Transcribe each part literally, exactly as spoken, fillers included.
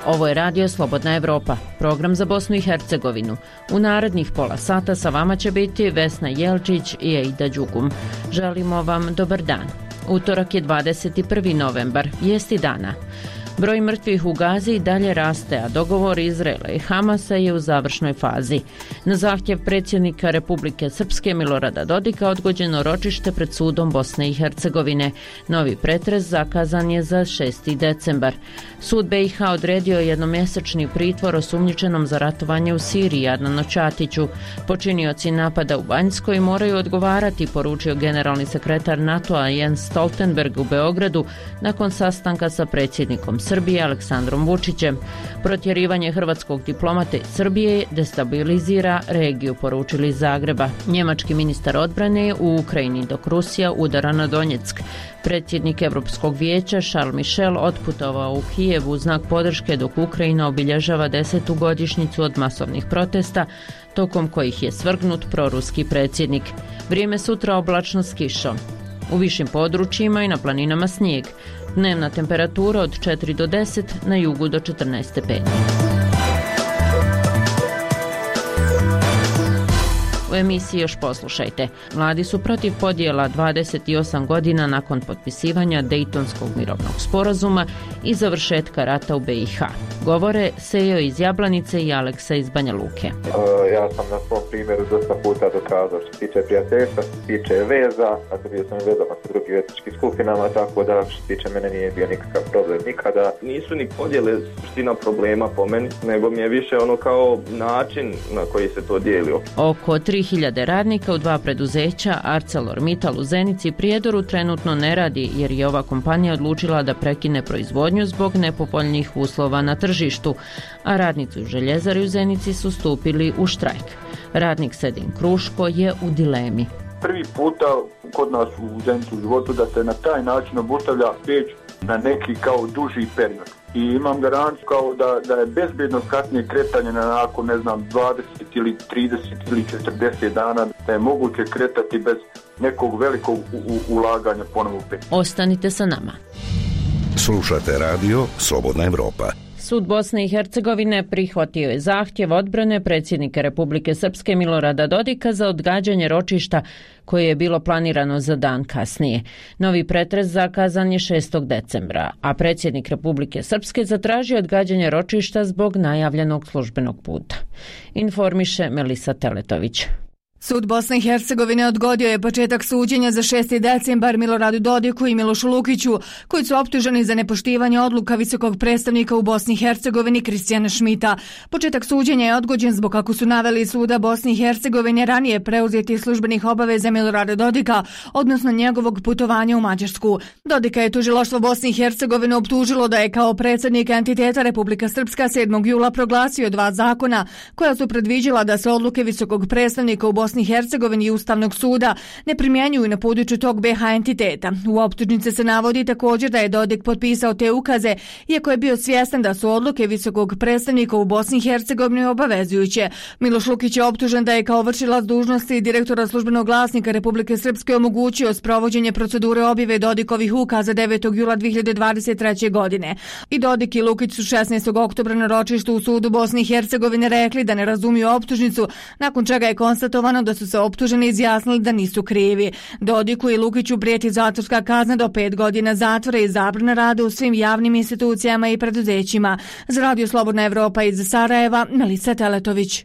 Ovo je Radio Slobodna Evropa, program za Bosnu i Hercegovinu. U narednih pola sata sa vama će biti Vesna Jelčić i Eida Đugum. Želimo vam dobar dan. Utorak je dvadeset prvi novembar, vijesti dana. Broj mrtvih u Gazi i dalje raste, a dogovor Izraela i Hamasa je u završnoj fazi. Na zahtjev predsjednika Republike Srpske Milorada Dodika odgođeno ročište pred sudom Bosne i Hercegovine. Novi pretres zakazan je za šesti decembar. Sud B i H odredio jednomjesečni pritvor osumnjičenom za ratovanje u Siriji Adnanu Ćatiću. Počinioci napada u Banjskoj moraju odgovarati, poručio generalni sekretar NATO-a Jens Stoltenberg u Beogradu nakon sastanka sa predsjednikom Srbije Aleksandrom Vučićem. Protjerivanje hrvatskog diplomata iz Srbije destabilizira regiju, poručili iz Zagreba. Njemački ministar odbrane u Ukrajini dok Rusija udara na Donjeck. Predsjednik Europskog vijeća Charles Michel otputovao u Kijev u znak podrške dok Ukrajina obilježava desetu godišnjicu od masovnih protesta tokom kojih je svrgnut proruski predsjednik. Vrijeme sutra oblačno s kišom. U višim područjima i na planinama snijeg. Dnevna temperatura od četiri do deset, na jugu do četrnaest stepeni. U emisiji još poslušajte. Mladi su protiv podjela dvadeset osam godina nakon potpisivanja Dejtonskog mirovnog sporazuma i završetka rata u B i H. Govore Sejo iz Jablanice i Aleksa iz Banja Luke. Uh, ja sam na svom primjeru dosta puta dokazao što se tiče prijateljstva, što se tiče veza, dakle bio sam u vezama sa drugim etničkim skupinama, tako da što se tiče mene nije bio nikakav problem nikada. Nisu ni podjele suština problema po meni, nego mi je više ono kao način na koji se to dijelio. Oko tri hiljade radnika u dva preduzeća ArcelorMittal u Zenici i Prijedoru trenutno ne radi jer je ova kompanija odlučila da prekine proizvodnju zbog nepovoljnih uslova na tržištu, a radnici u željezari u Zenici su stupili u štrajk. Radnik Sedin Kruško je u dilemi. Prvi puta kod nas u Zenici u životu da se na taj način obustavlja peć na neki kao duži period. I imam garanciju kao da, da je bezbjedno kasnije kretanje na nakon, ne znam, dvadeset ili trideset ili četrdeset dana, da je moguće kretati bez nekog velikog u, u, ulaganja ponovo u peć. Ostanite sa nama. Slušate Radio Slobodna Evropa. Sud Bosne i Hercegovine prihvatio je zahtjev odbrane predsjednika Republike Srpske Milorada Dodika za odgađanje ročišta koje je bilo planirano za dan kasnije. Novi pretres zakazan je šestog decembra, a predsjednik Republike Srpske zatražio odgađanje ročišta zbog najavljenog službenog puta. Informiše Melisa Teletović. Sud Bosne i Hercegovine odgodio je početak suđenja za šesti decembar Miloradu Dodiku i Milošu Lukiću, koji su optuženi za nepoštivanje odluka visokog predstavnika u Bosni i Hercegovini Kristijana Šmita. Početak suđenja je odgođen zbog, kako su naveli Suda Bosne i Hercegovine, ranije preuzetih službenih obaveza Milorada Dodika, odnosno njegovog putovanja u Mađarsku. Dodika je tužilaštvo Bosne i Hercegovine optužilo da je kao predsjednik entiteta Republika Srpska sedmog jula proglasio dva zakona koja su predviđala da se odluke visokog predstavnika u Bosni i Hercegovini i Ustavnog suda ne primjenjuju na području tog B H entiteta. U optužnici se navodi također da je Dodik potpisao te ukaze, iako je bio svjestan da su odluke visokog predstavnika u Bosni i Hercegovini obavezujuće. Miloš Lukić je optužen da je kao vršilac dužnosti direktora službenog glasnika Republike Srpske omogućio sprovođenje procedure objave Dodikovih ukaza devetog jula dvije hiljade dvadeset treće. godine. I Dodik i Lukić su šesnaestog oktobra na ročištu u sudu Bosne i Hercegovine rekli da ne razumiju optužnicu, nakon čega je konstatovano da su se optuženi izjasnili da nisu krivi. Dodiku i Lukiću prijeti zatvorska kazna do pet godina zatvora i zabrana rada u svim javnim institucijama i preduzećima. Za Radio Slobodna Evropa iz Sarajeva, Melisa Teletović.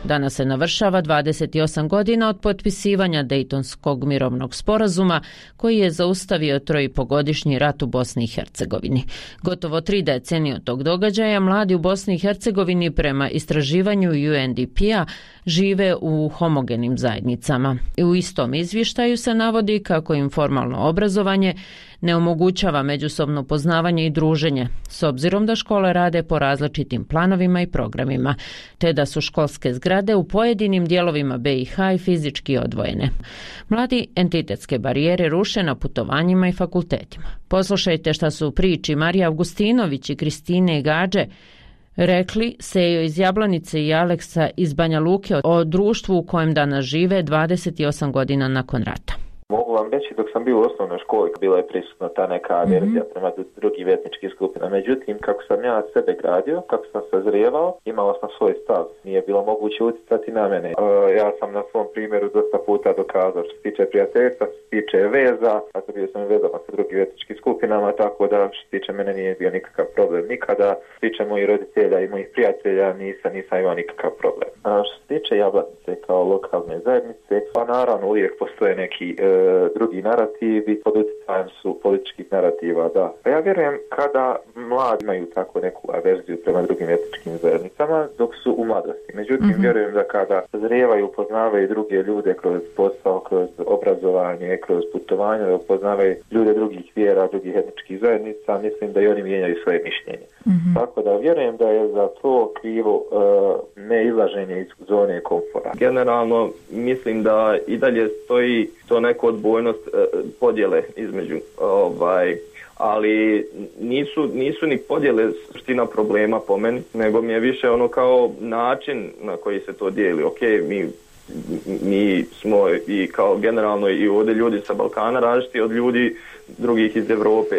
Danas se navršava dvadeset osam godina od potpisivanja Dejtonskog mirovnog sporazuma koji je zaustavio trojipogodišnji rat u Bosni i Hercegovini. Gotovo tri decenije od tog događaja mladi u Bosni i Hercegovini prema istraživanju U N D P-a žive u homogenim zajednicama. I u istom izvještaju se navodi kako im formalno obrazovanje ne omogućava međusobno poznavanje i druženje, s obzirom da škole rade po različitim planovima i programima, te da su školske zgrade u pojedinim dijelovima B i H i fizički odvojene. Mladi entitetske barijere ruše na putovanjima i fakultetima. Poslušajte šta su u priči Marija Avgustinović i Kristine Gađe rekli Sejo iz Jablanice i Aleksa iz Banja Luke o društvu u kojem danas žive dvadeset osam godina nakon rata. Mogu vam reći, dok sam bio u osnovnoj školi, bila je prisutna ta neka averzija mm-hmm. prema drugim etničkim skupinama. Međutim, kako sam ja sebe gradio, kako sam sazrijevao, imao sam svoj stav. Nije bilo moguće utjecati na mene. Uh, ja sam na svom primjeru dosta puta dokazao što se tiče prijateljstva, što se tiče veza, a bio sam vezama sa drugim etničkim skupinama, tako da što se tiče mene nije bio nikakav problem nikada. Što se tiče mojih roditelja i mojih prijatelja nisam, nisam imao nikakav problem. A što se tiče Jablanice kao lokalne zajednice, pa naravno uvijek postoje neki e, drugi narativi, pod utjecajem su političkih narativa, da. Pa ja vjerujem kada mladi imaju tako neku averziju prema drugim etničkim zajednicama, dok su u mladosti. Međutim, mm-hmm. vjerujem da kada zrijevaju, upoznavaju druge ljude kroz posao, kroz obrazovanje, kroz putovanje, da upoznavaju ljude drugih vjera, drugih etničkih zajednica, mislim da i oni mijenjaju svoje mišljenje. Mm-hmm. Tako da vjerujem da je za to krivo uh, neizlaženje iz zone komfora. Generalno mislim da i dalje stoji to neko odbojnost uh, podjele između ovaj ali nisu, nisu ni podjele suština problema po meni, nego mi je više ono kao način na koji se to dijeli. Ok, mi, mi smo i kao generalno i ovdje ljudi sa Balkana različiti od ljudi drugih iz Europe,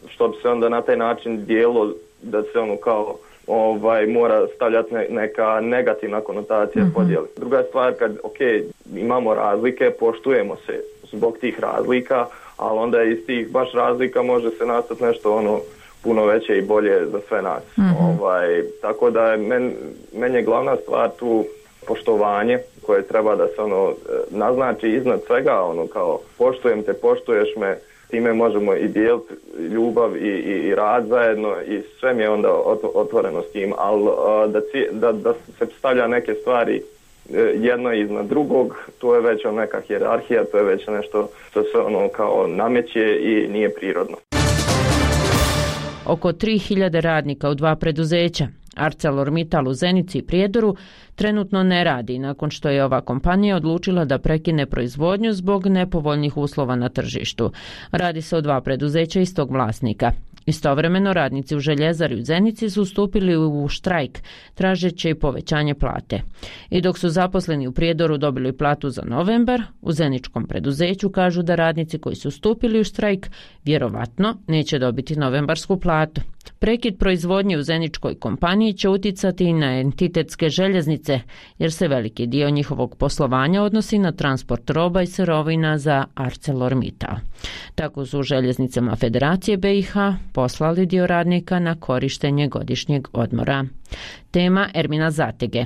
što bi se onda na taj način dijelo da se ono kao ovaj mora stavljati ne, neka negativna konotacija mm-hmm. podjele. Druga stvar, kad ok, imamo razlike, poštujemo se zbog tih razlika, ali onda iz tih baš razlika može se nastati nešto ono puno veće i bolje za sve nas. Mm-hmm. Ovaj, tako da je men, meni je glavna stvar tu poštovanje koje treba da se ono naznači iznad svega, ono kao poštujem te, poštuješ me, time možemo i dijeliti ljubav i, i, i rad zajedno i sve mi je onda otvoreno s tim, ali da, da, da se stavlja neke stvari jedno iznad drugog, to je već neka hijerarhija, to je već nešto što se ono kao nameće i nije prirodno. Oko tri hiljade radnika u dva preduzeća, ArcelorMittal u Zenici i Prijedoru, trenutno ne radi nakon što je ova kompanija odlučila da prekine proizvodnju zbog nepovoljnih uslova na tržištu. Radi se o dva preduzeća istog vlasnika. Istovremeno radnici u željezari u Zenici su stupili u štrajk, tražeći povećanje plate. I dok su zaposleni u Prijedoru dobili platu za novembar, u zeničkom preduzeću kažu da radnici koji su stupili u štrajk vjerovatno neće dobiti novembarsku platu. Prekid proizvodnje u zeničkoj kompaniji će uticati i na entitetske željeznice, jer se veliki dio njihovog poslovanja odnosi na transport roba i sirovina za ArcelorMittal. Tako su u željeznicama Federacije B i H poslali dio radnika na korištenje godišnjeg odmora. Tema Ermina Zatege.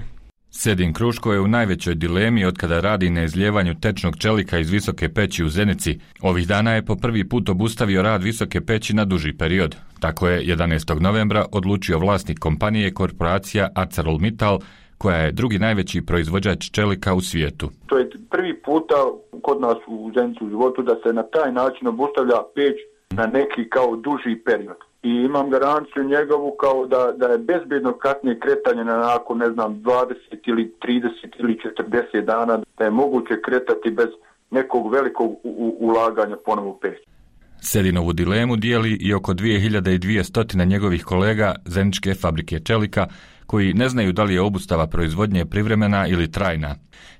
Sedin Kruško je u najvećoj dilemi od kada radi na izljevanju tečnog čelika iz Visoke peći u Zenici. Ovih dana je po prvi put obustavio rad Visoke peći na duži period. Tako je jedanaestog novembra odlučio vlasnik kompanije korporacija ArcelorMittal, koja je drugi najveći proizvođač čelika u svijetu. To je prvi puta kod nas u Zenici u životu da se na taj način obustavlja peć na neki kao duži period. I imam garanciju njegovu kao da, da je bezbjedno kasnije kretanje na nakon, ne znam, dvadeset ili trideset ili četrdeset dana, da je moguće kretati bez nekog velikog u, u, ulaganja ponovo u peć. Sedinovu dilemu dijeli i oko dvije hiljade dvjesto njegovih kolega Zeničke fabrike čelika, koji ne znaju da li je obustava proizvodnje privremena ili trajna.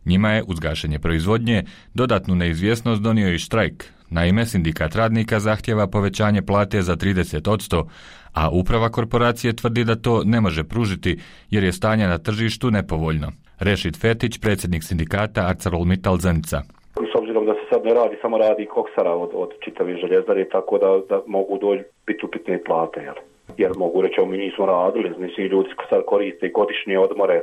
Njima je uz gašenje proizvodnje dodatnu neizvjesnost donio i štrajk. Naime, sindikat radnika zahtjeva povećanje plate za trideset posto, a uprava korporacije tvrdi da to ne može pružiti jer je stanje na tržištu nepovoljno. Rešid Fetić, predsjednik sindikata ArcelorMittal Zenica. S obzirom da se sad ne radi, samo radi koksara od, od čitave željezare, tako da, da mogu doći biti upitne plate. Jer, jer mogu reći, mi nismo radili, znači ljudi sad koriste godišnje odmore.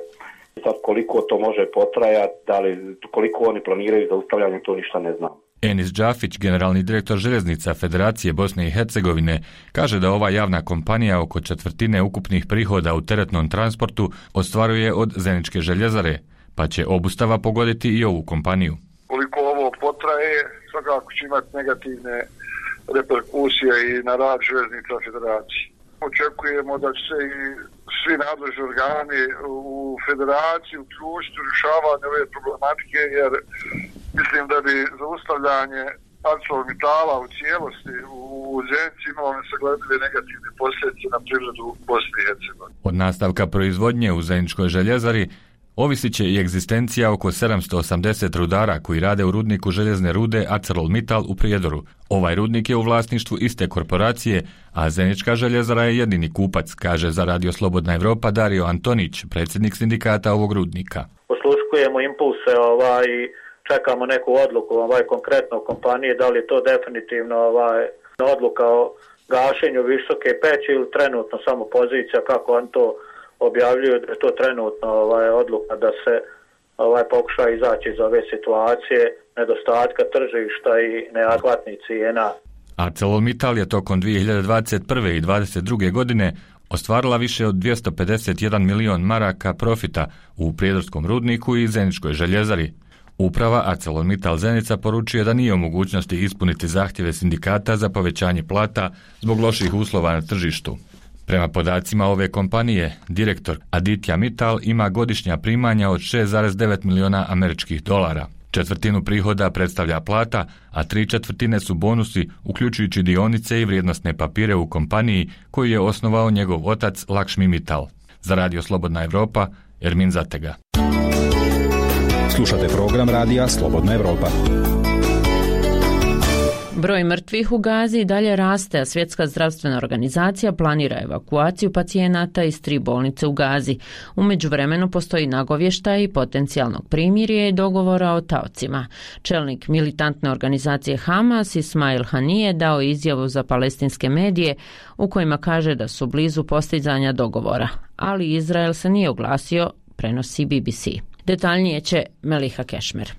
Sad koliko to može potrajati, da li, koliko oni planiraju za ustavljanje, to ništa ne znam. Enis Džafić, generalni direktor željeznica Federacije Bosne i Hercegovine, kaže da ova javna kompanija oko četvrtine ukupnih prihoda u teretnom transportu ostvaruje od Zeničke željezare, pa će obustava pogoditi i ovu kompaniju. Koliko ovo potraje, svakako će imati negativne reperkusije i na rad željeznica Federacije. Očekujemo da će se i svi nadležni organi u Federaciji uključiti u rješavanje ove problematike, jer mislim da bi zaustavljanje ArcelorMittala u cijelosti u Zenici imalo nesagledive negativne posljedice na privredu Bosne i Hercegovine. Od nastavka proizvodnje u Zeničkoj željezari ovisit će i egzistencija oko sedamsto osamdeset rudara koji rade u rudniku željezne rude ArcelorMittal u Prijedoru. Ovaj rudnik je u vlasništvu iste korporacije, a Zenička željezara je jedini kupac, kaže za Radio Slobodna Evropa Dario Antonić, predsjednik sindikata ovog rudnika. Osluškujemo impulse, ovaj, čekamo neku odluku ovaj, konkretno u kompaniji, da li je to definitivno ovaj, odluka o gašenju Visoke peći ili trenutno samo pozicija, kako on to objavljuju, da je to trenutno ovaj, odluka da se ovaj, pokuša izaći iz ove situacije nedostatka tržišta i neadekvatnih cijena. ArcelorMittal je tokom dvije hiljade dvadeset prve i dvadeset druge godine ostvarila više od dvjesto pedeset jedan milion maraka profita u Prijedorskom rudniku i Zeničkoj željezari. Uprava ArcelorMittal Zenica poručuje da nije u mogućnosti ispuniti zahtjeve sindikata za povećanje plata zbog loših uslova na tržištu. Prema podacima ove kompanije, direktor Aditya Mittal ima godišnja primanja od šest zarez devet miliona američkih dolara. Četvrtinu prihoda predstavlja plata, a tri četvrtine su bonusi, uključujući dionice i vrijednosne papire u kompaniji koju je osnovao njegov otac Lakshmi Mittal. Za Radio Slobodna Evropa, Ermin Zatega. Slušate program Radija Slobodna Evropa. Broj mrtvih u Gazi dalje raste, a Svjetska zdravstvena organizacija planira evakuaciju pacijenata iz tri bolnice u Gazi. U međuvremenu postoji nagovještaj potencijalnog primirja i dogovora o taocima. Čelnik militantne organizacije Hamas Ismail Hanije dao izjavu za palestinske medije u kojima kaže da su blizu postizanja dogovora, ali Izrael se nije oglasio, prenosi B B C. Detaljnije će Meliha Kešmer.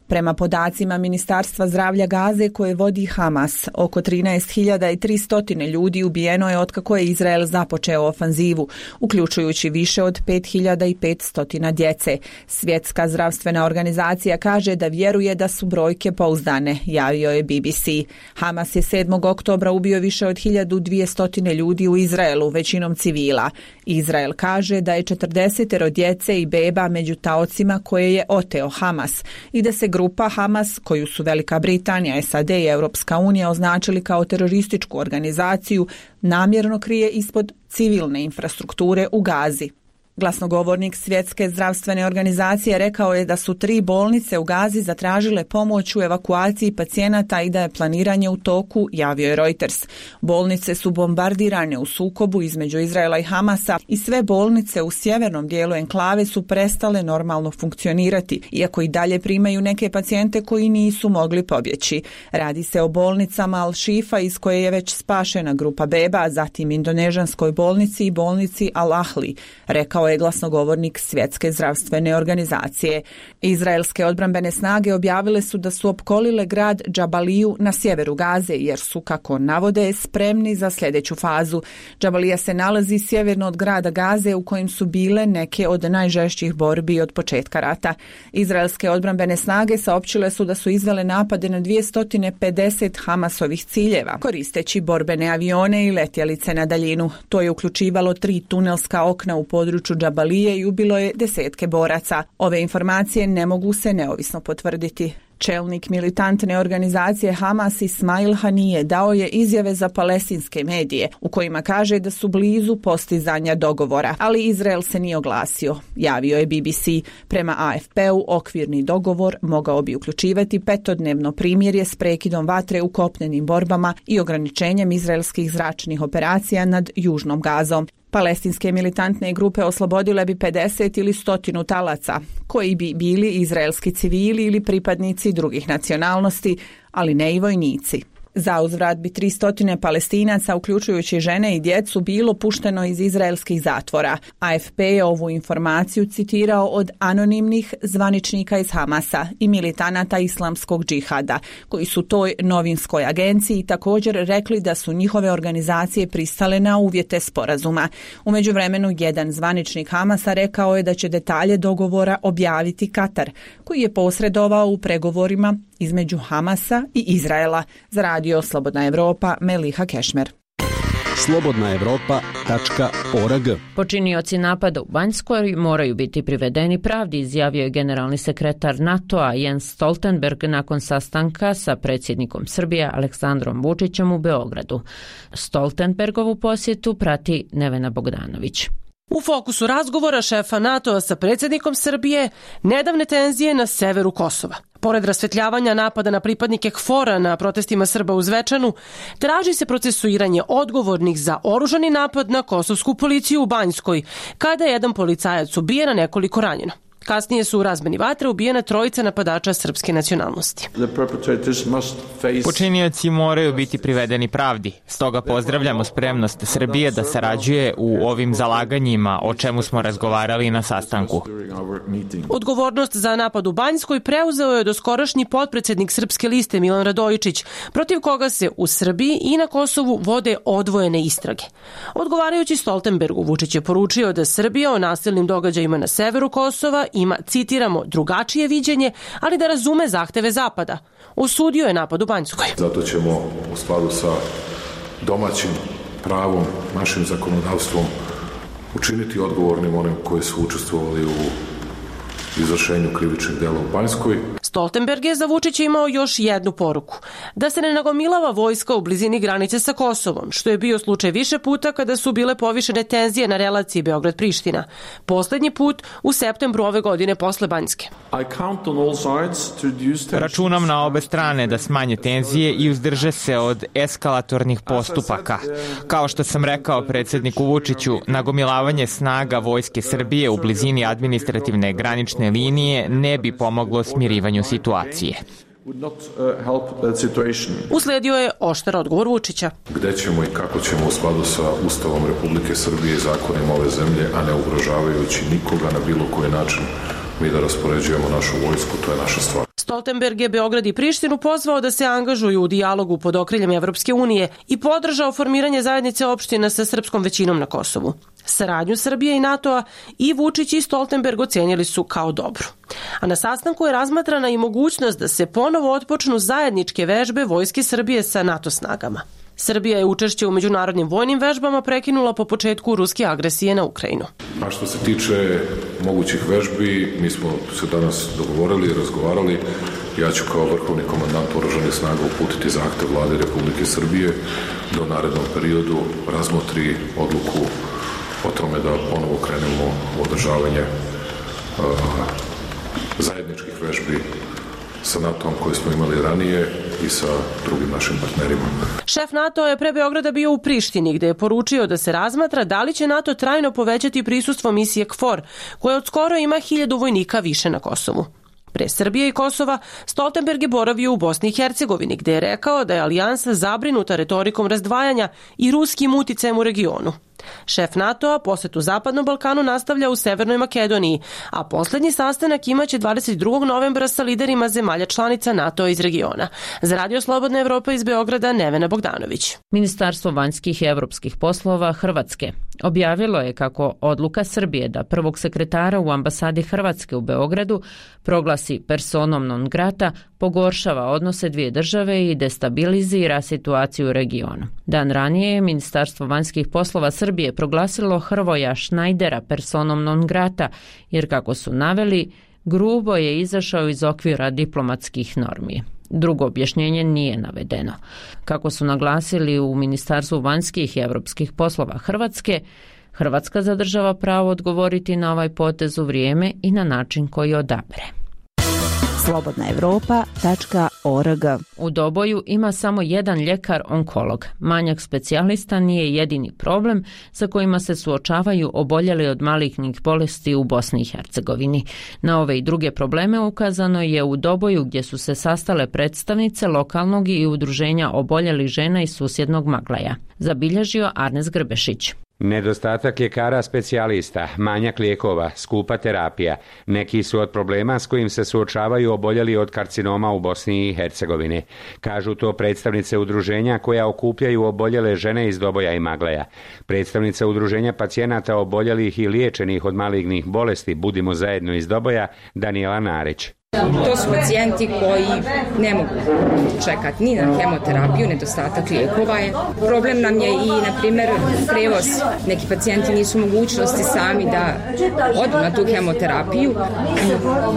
Prema podacima Ministarstva zdravlja Gaze koje vodi Hamas, oko trinaest hiljada tristo ljudi ubijeno je otkako je Izrael započeo ofanzivu, uključujući više od pet hiljada petsto djece. Svjetska zdravstvena organizacija kaže da vjeruje da su brojke pouzdane, javio je B B C. Hamas je sedmog oktobra ubio više od hiljadu dvjesto ljudi u Izraelu, većinom civila. Izrael kaže da je četrdeset djece i beba među taocima koje je oteo Hamas i da se grupa Hamas, koju su Velika Britanija, S A D i Europska unija označili kao terorističku organizaciju, namjerno krije ispod civilne infrastrukture u Gazi. Glasnogovornik Svjetske zdravstvene organizacije rekao je da su tri bolnice u Gazi zatražile pomoć u evakuaciji pacijenata i da je planiranje u toku, javio je Reuters. Bolnice su bombardirane u sukobu između Izraela i Hamasa i sve bolnice u sjevernom dijelu enklave su prestale normalno funkcionirati, iako i dalje primaju neke pacijente koji nisu mogli pobjeći. Radi se o bolnicama Al-Shifa iz koje je već spašena grupa beba, zatim indonežanskoj bolnici i bolnici Al-Ahli, rekao je glasnogovornik Svjetske zdravstvene organizacije. Izraelske odbrambene snage objavile su da su opkolile grad Džabaliju na sjeveru Gaze jer su, kako navode, spremni za sljedeću fazu. Džabalija se nalazi sjeverno od grada Gaze u kojim su bile neke od najžešćih borbi od početka rata. Izraelske odbrambene snage saopćile su da su izvele napade na dvjesto pedeset Hamasovih ciljeva, koristeći borbene avione i letjelice na daljinu. To je uključivalo tri tunelska okna u području Džabalije i ubilo je desetke boraca. Ove informacije ne mogu se neovisno potvrditi. Čelnik militantne organizacije Hamas Ismail Hanije dao je izjave za palestinske medije u kojima kaže da su blizu postizanja dogovora, ali Izrael se nije oglasio, javio je B B C. Prema A F P-u okvirni dogovor mogao bi uključivati petodnevno primirje s prekidom vatre u kopnenim borbama i ograničenjem izraelskih zračnih operacija nad južnom Gazom. Palestinske militantne grupe oslobodile bi pedeset ili stotinu talaca, koji bi bili izraelski civili ili pripadnici drugih nacionalnosti, ali ne i vojnici. Za uzvrat bi tristo Palestinaca, uključujući žene i djecu, bilo pušteno iz izraelskih zatvora. A F P je ovu informaciju citirao od anonimnih zvaničnika iz Hamasa i militanata islamskog džihada, koji su toj novinskoj agenciji također rekli da su njihove organizacije pristale na uvjete sporazuma. U međuvremenu, jedan zvaničnik Hamasa rekao je da će detalje dogovora objaviti Katar, koji je posredovao u pregovorima između Hamasa i Izraela. Za Radio Slobodna Evropa, Meliha Kešmer. slobodna evropa tačka org. Počinioci napada u Banjskoj moraju biti privedeni pravdi, izjavio je generalni sekretar NATO-a Jens Stoltenberg nakon sastanka sa predsjednikom Srbije Aleksandrom Vučićem u Beogradu. Stoltenbergovu posjetu prati Nevena Bogdanović. U fokusu razgovora šefa NATO-a sa predsjednikom Srbije nedavne tenzije na severu Kosova. Pored rasvetljavanja napada na pripadnike K F O R-a na protestima Srba u Zvečanu, traži se procesuiranje odgovornih za oružani napad na kosovsku policiju u Banjskoj, kada je jedan policajac ubijen, a nekoliko ranjeno. Kasnije su u razmeni vatre ubijena trojica napadača srpske nacionalnosti. Počinioci moraju biti privedeni pravdi. Stoga pozdravljamo spremnost Srbije da sarađuje u ovim zalaganjima, o čemu smo razgovarali na sastanku. Odgovornost za napad u Banjskoj preuzeo je doskorašnji potpredsjednik Srpske liste Milan Radojičić, protiv koga se u Srbiji i na Kosovu vode odvojene istrage. Odgovarajući Stoltenbergu, Vučić je poručio da Srbija o nasilnim događajima na severu Kosova ima, citiramo, drugačije viđenje, ali da razume zahteve Zapada. Osudio je napad u Banjskoj. Zato ćemo u skladu sa domaćim pravom, našim zakonodavstvom učiniti odgovornim onim koji su učestvovali u izvršenju krivičnih dela u Banjskoj. Stoltenberg je za Vučića imao još jednu poruku. Da se ne nagomilava vojska u blizini granice sa Kosovom, što je bio slučaj više puta kada su bile povišene tenzije na relaciji Beograd-Priština. Poslednji put u septembru ove godine posle Banjske. Računam na obe strane da smanje tenzije i uzdrže se od eskalatornih postupaka. Kao što sam rekao predsjedniku Vučiću, nagomilavanje snaga Vojske Srbije u blizini administrativne granične linije ne bi pomoglo smirivanju situacije. Usledio je oštar odgovor Vučića. Gde ćemo i kako ćemo u skladu sa Ustavom Republike Srbije i zakonima ove zemlje, a ne ugrožavajući nikoga na bilo koji način, mi da raspoređujemo našu vojsku, to je naša stvar. Stoltenberg je Beograd i Prištinu pozvao da se angažuju u dijalogu pod okriljem Evropske unije i podržao formiranje zajednice opština sa srpskom većinom na Kosovu. Saradnju Srbije i NATO-a i Vučić i Stoltenberg ocenjeli su kao dobru. A na sastanku je razmatrana i mogućnost da se ponovo otpočnu zajedničke vežbe Vojske Srbije sa NATO snagama. Srbija je učešće u međunarodnim vojnim vežbama prekinula po početku ruske agresije na Ukrajinu. A što se tiče mogućih vežbi, mi smo se danas dogovorili i razgovarali. Ja ću kao vrhovni komandant oružanih snaga uputiti zahtev Vlade Republike Srbije da u narednom periodu razmotri odluku o tome da ponovo krenemo u održavanje uh, zajedničkih vežbi sa NATO-om koje smo imali ranije i sa drugim našim partnerima. Šef NATO je pre Beograda bio u Prištini, gde je poručio da se razmatra da li će NATO trajno povećati prisustvo misije K F O R, koja od skoro ima hiljadu vojnika više na Kosovu. Pre Srbije i Kosova, Stoltenberg je boravio u Bosni i Hercegovini, gde je rekao da je alijansa zabrinuta retorikom razdvajanja i ruskim uticajem u regionu. Šef NATO-a posetu Zapadnom Balkanu nastavlja u Severnoj Makedoniji, a poslednji sastanak imaće dvadeset drugog novembra sa liderima zemalja članica NATO iz regiona. Za Radio Slobodna Evropa iz Beograda, Nevena Bogdanović. Ministarstvo vanjskih i evropskih poslova Hrvatske objavilo je kako odluka Srbije da prvog sekretara u ambasadi Hrvatske u Beogradu proglasi personom non grata pogoršava odnose dvije države i destabilizira situaciju u regionu. Dan ranije je Ministarstvo vanjskih poslova Srbije proglasilo Hrvoja Šnajdera personom non grata, jer kako su naveli, grubo je izašao iz okvira diplomatskih normi. Drugo objašnjenje nije navedeno. Kako su naglasili u Ministarstvu vanjskih i evropskih poslova Hrvatske, Hrvatska zadržava pravo odgovoriti na ovaj potez u vrijeme i na način koji odabere. slobodna evropa tačka org. U Doboju ima samo jedan ljekar-onkolog. Manjak specijalista nije jedini problem sa kojima se suočavaju oboljeli od malignih bolesti u Bosni i Hercegovini. Na ove i druge probleme ukazano je u Doboju, gdje su se sastale predstavnice lokalnog i udruženja oboljelih žena iz susjednog Maglaja. Zabilježio Arnes Grbešić. Nedostatak ljekara specijalista, manjak lijekova, skupa terapija, neki su od problema s kojim se suočavaju oboljeli od karcinoma u Bosni i Hercegovini. Kažu to predstavnice udruženja koja okupljaju oboljele žene iz Doboja i Magleja. Predstavnica udruženja pacijenata oboljelih i liječenih od malignih bolesti Budimo zajedno iz Doboja, Danijela Narić. To su pacijenti koji ne mogu čekati ni na hemoterapiju, nedostatak lijekova je. Problem nam je i, na primjer, prevoz. Neki pacijenti nisu mogućnosti sami da odu na tu hemoterapiju.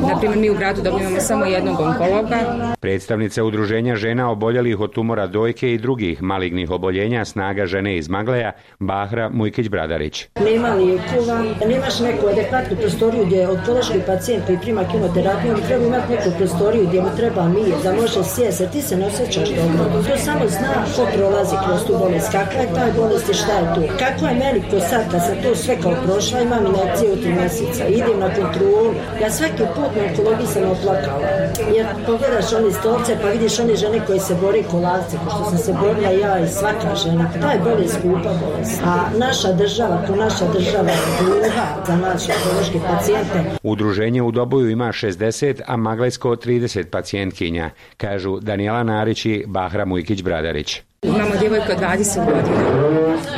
Na primjer, mi u gradu dobivamo samo jednog onkologa. Predstavnica udruženja žena oboljelih od tumora dojke i drugih malignih oboljenja Snaga žene iz Magleja, Bahra Mujkić-Bradarić. Nema lijekova, nemaš neku adekvatnu prostoriju gdje onkološki pacijent koji prima kemoterapiju, on treba imati neku prostoriju gdje mu treba mir, da može sjesti, ti se ne osjećaš dobro. To samo zna ko prolazi kroz tu bolest, kakva je taj bolest i šta je tu. Kako je meni ko sad, kad sam to sve kao prošla, imam injekcije u tri mjeseca, idem na kontrolu. Ja svaki put na onkologiji sam oplakala. Jer pogledaš one stolce pa vidiš one žene koje se bore kolavce, ko što sam se borila ja i svaka žena. Ta je bolest skupa bolest. A naša država, ko naša država je gluha za naše onkološke pacijente. Udruženje u Doboju ima šezdeset, a Maglajsko trideset pacijentkinja, kažu Danijela Narić i Bahra Mujkić-Bradarić. Imamo djevojka od dvadeset godina,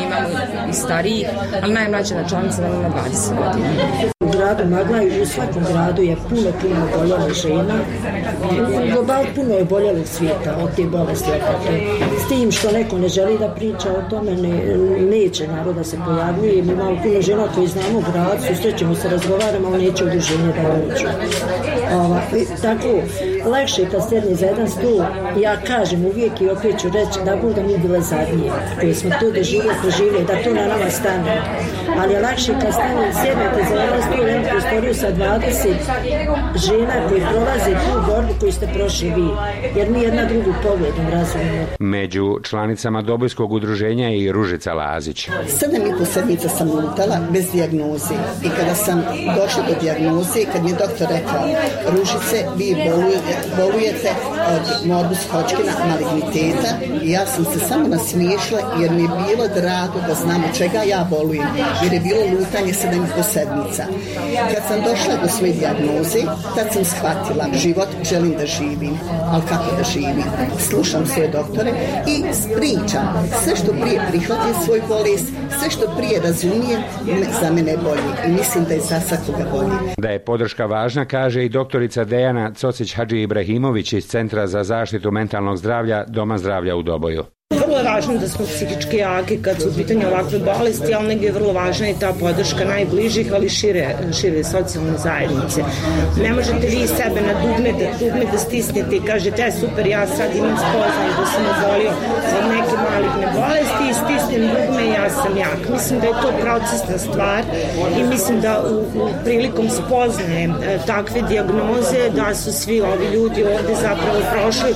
imamo i starijih, ali najmlađa načalnica nam ima dvadeset godina. U gradu Maglaju, u svakom gradu je puno, puno oboljela žena. U globalu puno je oboljelog svijeta od te bolesti. S tim što neko ne želi da priča o tome, ne, neće naroda se pojavljuje. Mi imamo puno žena koji znamo u gradu, susrećemo se, razgovaramo, ali neće udruženje da dođu. Ova, tako, lakše kad sedne za jedan stol, ja kažem uvijek i opet ću reći da budu da mi bile zadnije, koji smo to doživjeli, proživjeli, da to na nama stane. Ali je lakše kad stane, sjednete za jedan stol, jednu prostoriju sa dvadeset žena koji prolaze tu borbu koju ste prošli vi, jer mi jedna drugu pogledom razumimo. Među članicama Dobojskog udruženja je i Ružica Lazić. Sedam i po sedmica sam lutala bez dijagnoze i kada sam došla do dijagnoze, kad mi je doktor rekao, Ružice, vi bolujete, bolujete od morbus Hodgkina maligniteta, i ja sam se samo nasmiješila jer mi je bilo drago da znam od čega ja bolujem, jer je bilo lutanje sedam i po sedmica. Kad sam došla do svoje dijagnoze, tad sam shvatila, život želim da živim, ali kako da živim? Slušam svoje doktore i pričam. Sve što prije prihvatim svoj bolest, sve što prije razumijem, za mene je bolje i mislim da je za svakoga bolje. Da je podrška važna, kaže i doktorica Dejana Cocić-Hadži-Ibrahimović iz Centra za zaštitu mentalnog zdravlja Doma zdravlja u Doboju. Vrlo je važno da smo psihički jaki kad su u pitanju ovakve bolesti, ali negdje je vrlo važna i ta podrška najbližih, ali šire, šire socijalne zajednice. Ne možete vi sebe na dugme da, dugme da stisnete i kažete, e, super, ja sad imam spoznaju da sam obolio od neke maligne bolesti i stisnem dugme i ja sam jak. Mislim da je to procesna stvar i mislim da u, u prilikom spoznaje e, takve dijagnoze da su svi ovi ljudi ovdje zapravo prošli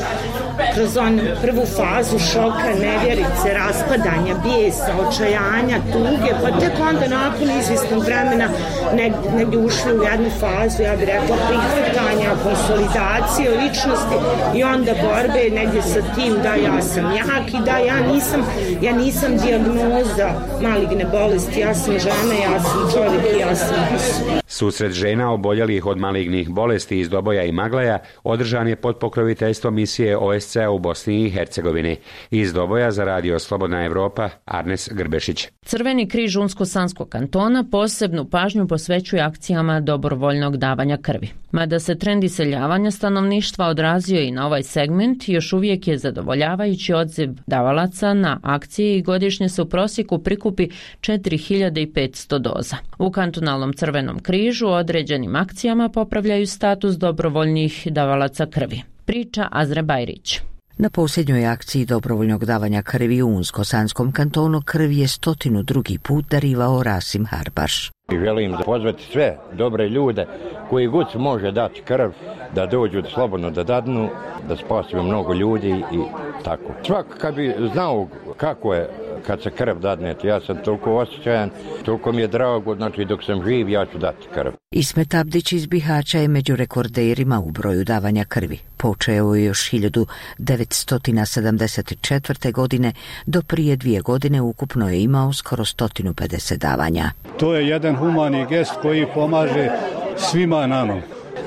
kroz onu prvu fazu šoka, nevjerice, raspadanja, bijesa, očajanja, tuge, pa tek onda nakon izvjesnog vremena negdje, negdje ušli u jednu fazu, ja bih rekla, prihvatanja, konsolidacije ličnosti i onda borbe negdje sa tim da ja sam jak i da ja nisam, ja nisam dijagnoza maligne bolesti, ja sam žena, ja sam čovjek i ja sam osoba. Susret žena oboljelih od malignih bolesti iz Doboja i Maglaja održan je pod pokroviteljstvom misije O S C-a u Bosni i Hercegovini. Iz Doboja za radio Slobodna Evropa, Arnes Grbešić. Crveni križ Unsko-Sanskog kantona posebnu pažnju posvećuje akcijama dobrovoljnog davanja krvi. Mada se trend iseljavanja stanovništva odrazio i na ovaj segment, još uvijek je zadovoljavajući odziv davalaca na akcije i godišnje se u prosjeku prikupi četiri hiljade petsto doza. U kantonalnom Crvenom križu određenim akcijama popravljaju status dobrovoljnih davalaca krvi. Priča Azre Bajrić. Na posljednjoj akciji dobrovoljnog davanja krvi u Unsko-Sanskom kantonu krv je stotinu drugi put darivao Rasim Harbaš. Želim pozvati sve dobre ljude koji god može dati krv da dođu slobodno da dadnu, da spasimo mnogo ljudi i tako. Svak kad bi znao kako je kad se krv dadne, ja sam toliko osjećajan, toliko mi je drago, znači dok sam živ ja ću dati krv. Ismet Abdić iz Bihaća je među rekorderima u broju davanja krvi. Počeo je još hiljadu devetsto sedamdeset četvrte. godine, do prije dvije godine ukupno je imao skoro sto pedeset davanja. To je jedan humani gest koji pomaže svima nama.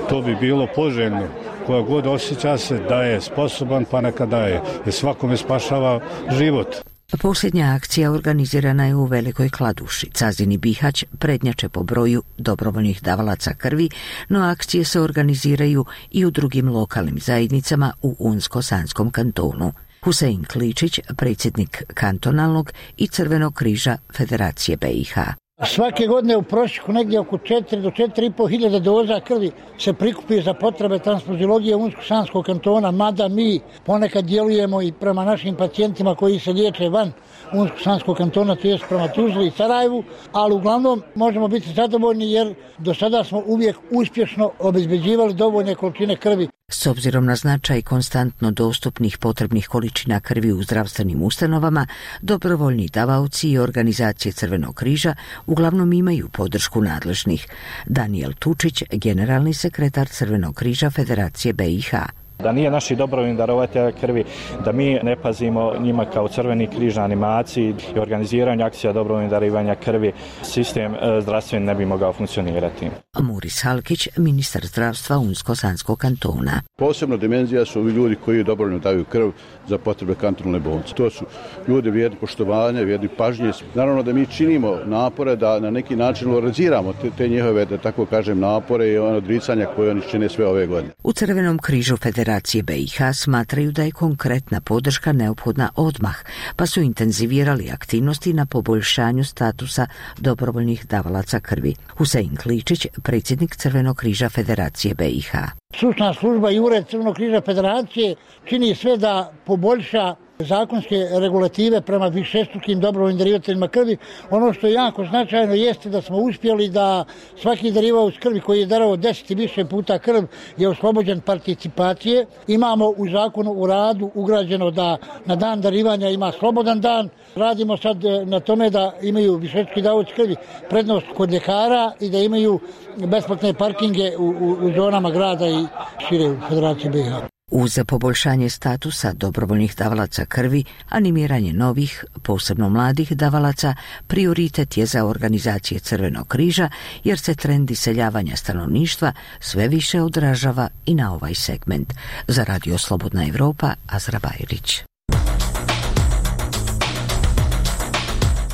To bi bilo poželjno. Koja god osjeća se da je sposoban, pa neka daje. Jer svakome spašava život. Posljednja akcija organizirana je u Velikoj Kladuši. Cazini Bihać prednjače po broju dobrovoljnih davalaca krvi, no akcije se organiziraju i u drugim lokalnim zajednicama u Unsko-Sanskom kantonu. Husein Kličić, predsjednik kantonalnog i Crvenog križa Federacije B i H. Svake godine u prosjeku negdje oko četiri do četiri i pol hiljade doza krvi se prikupi za potrebe transfuziologije Unsko-Sanskog kantona, mada mi ponekad djelujemo i prema našim pacijentima koji se liječe van Unsko-Sanskog kantona, to je prema Tuzli i Sarajevu, ali uglavnom možemo biti zadovoljni jer do sada smo uvijek uspješno obezbeđivali dovoljne količine krvi. S obzirom na značaj konstantno dostupnih potrebnih količina krvi u zdravstvenim ustanovama, dobrovoljni davaoci i organizacije Crvenog križa uglavnom imaju podršku nadležnih. Daniel Tučić, generalni sekretar Crvenog križa Federacije B i H. Da nije naši dobrovoljni darovatelja krvi, da mi ne pazimo njima kao Crveni križ na animaciji i organiziranju akcija dobrovoljnih darivanja krvi, sistem zdravstveni ne bi mogao funkcionirati. Muris Halkić, ministar zdravstva Unsko-Sanskog kantona. Posebno dimenzija su ovi ljudi koji dobrovoljno daju krv za potrebe kantonalne bolnice. To su ljudi vrijedni poštovanja, vrijedni pažnje. Naravno da mi činimo napore da na neki način valoriziramo te, te njihove, da tako kažem, napore i ono odricanja koje oni čine sve ove godine. U Crvenom križu Federacije B i H smatraju da je konkretna podrška neophodna odmah, pa su intenzivirali aktivnosti na poboljšanju statusa dobrovoljnih davalaca krvi. Husein Kličić, predsjednik Crvenog križa Federacije B i H. Stručna služba i ured Crvenog križa Federacije čini sve da poboljša zakonske regulative prema višestrukim dobrovoljnim darivateljima krvi. Ono što je jako značajno jeste da smo uspjeli da svaki darivalac krvi koji je darovao deset i više puta krv je oslobođen participacije. Imamo u zakonu u radu ugrađeno da na dan darivanja ima slobodan dan. Radimo sad na tome da imaju višestruki davaoci krvi prednost kod ljekara i da imaju besplatne parkinge u, u, u zonama grada i šire u Federaciji B i H. Uz poboljšanje statusa dobrovoljnih davalaca krvi, animiranje novih, posebno mladih davalaca, prioritet je za organizacije Crvenog križa, jer se trend iseljavanja stanovništva sve više odražava i na ovaj segment. Za Radio Slobodna Evropa, Azra Bajrić.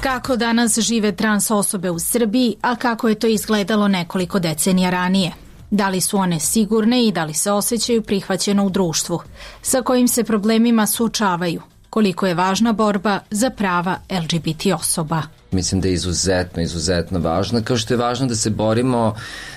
Kako danas žive trans osobe u Srbiji, a kako je to izgledalo nekoliko decenija ranije? Da li su one sigurne i da li se osjećaju prihvaćeno u društvu? Sa kojim se problemima suočavaju? Koliko je važna borba za prava L G B T osoba? Mislim da je izuzetno, izuzetno važno, kao što je važno da se borimo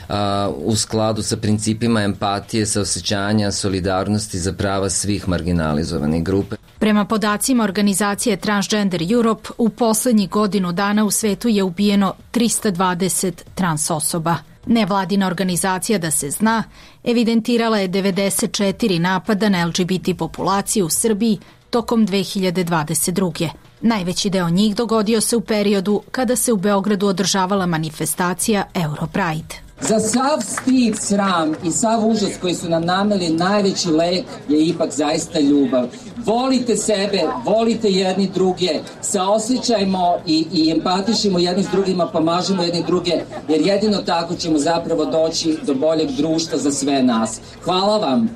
uh, u skladu sa principima empatije, saosećanja, solidarnosti za prava svih marginalizovanih grupe. Prema podacima organizacije Transgender Europe, u poslednjih godinu dana u svetu je ubijeno trista dvadeset trans osoba. Nevladina organizacija Da se zna evidentirala je devedeset četiri napada na L G B T populaciju u Srbiji tokom dve hiljade dvadeset druge. Najveći deo njih dogodio se u periodu kada se u Beogradu održavala manifestacija Europride. Za sav stid, sram i sav užas koji su nam nameli, najveći lek je ipak zaista ljubav. Volite sebe, volite jedni druge, saosjećajmo i, i empatišimo jedni s drugima, pomažemo jedni druge, jer jedino tako ćemo zapravo doći do boljeg društva za sve nas. Hvala vam!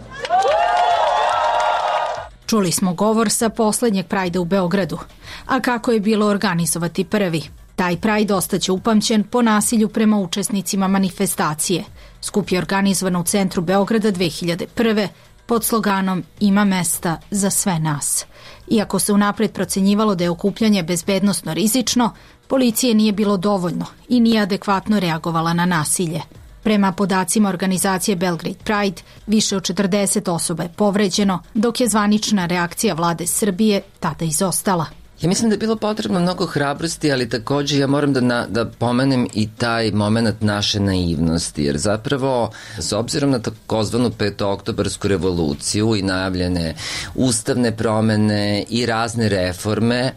Čuli smo govor sa poslednjeg Prajda u Beogradu. A kako je bilo organizovati prvi? Taj Pride ostaće upamćen po nasilju prema učesnicima manifestacije. Skup je organizovan u centru Beograda dve hiljade prve pod sloganom Ima mesta za sve nas. Iako se unapred procenjivalo da je okupljanje bezbednosno rizično, policije nije bilo dovoljno i nije adekvatno reagovala na nasilje. Prema podacima organizacije Belgrade Pride, više od četrdeset osoba je povređeno, dok je zvanična reakcija vlade Srbije tada izostala. Ja mislim da je bilo potrebno mnogo hrabrosti, ali također ja moram da, na, da pomenem i taj moment naše naivnosti, jer zapravo s obzirom na takozvanu petooktobarsku revoluciju i najavljene ustavne promene i razne reforme,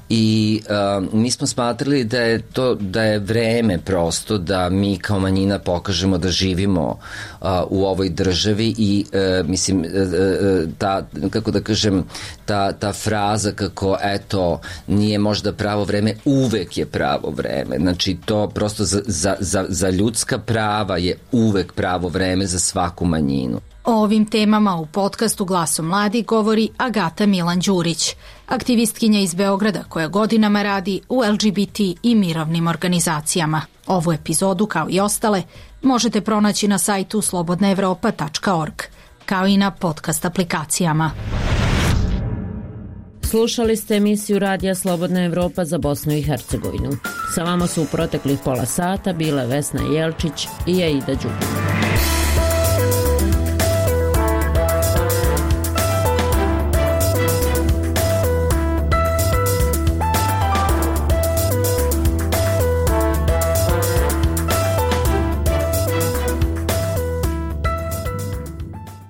i uh, mi smo smatrali da je to da je vreme prosto da mi kao manjina pokažemo da živimo uh, u ovoj državi i uh, mislim uh, ta, kako da kažem, ta, ta fraza kako eto nije možda pravo vreme, uvek je pravo vreme, znači to prosto za, za, za, za ljudska prava je uvek pravo vreme za svaku manjinu. O ovim temama u podcastu Glasom mladi govori Agata Milan-Đurić, aktivistkinja iz Beograda koja godinama radi u L G B T i mirovnim organizacijama. Ovu epizodu, kao i ostale, možete pronaći na sajtu slobodna evropa tačka org, kao i na podcast aplikacijama. Slušali ste emisiju Radija Slobodna Evropa za Bosnu i Hercegovinu. Sa vama su u proteklih pola sata bile Vesna Jelčić i Aida Đukum.